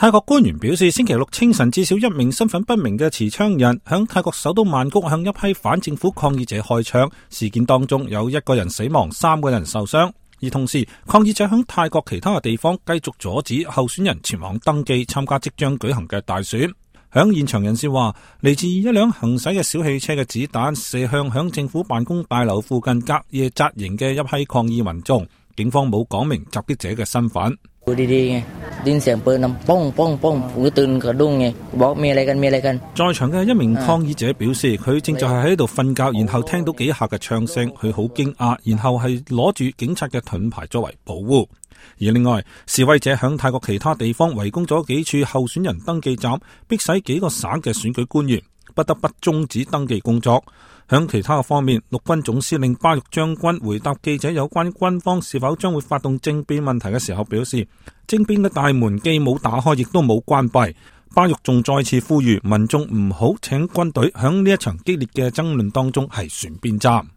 泰國官員表示，星期六清晨至少一名身份不明嘅持槍人響泰國首都曼谷向一批反政府抗議者開槍，事件當中有1個人死亡，3個人受傷。而同時，抗議者響泰國其他嘅地方繼續阻止候選人前往登記參加即將舉行嘅大選。響現場人士話，嚟自一輛行駛嘅小汽車嘅子彈射向響政府辦公大樓附近隔夜紮營嘅一批抗議民眾，警方冇講明襲擊者嘅身份。在場嘅一名抗議者表示，佢正就係喺度瞓覺，然後聽到幾下嘅槍聲，佢好驚訝，然後係攞住警察嘅盾牌作為保護。而另外，示威者響泰國其他地方圍攻咗幾處候選人登記站，迫使幾個省嘅選舉官員不得不終止登記工作。響其他嘅方面，陸軍總司令巴育將軍回答記者有關軍方是否將會發動政變問題嘅時候表示，政變嘅大門既冇打開，亦都冇關閉。巴育仲再次呼籲民眾唔好請軍隊響呢一場激烈嘅爭論當中係選邊站。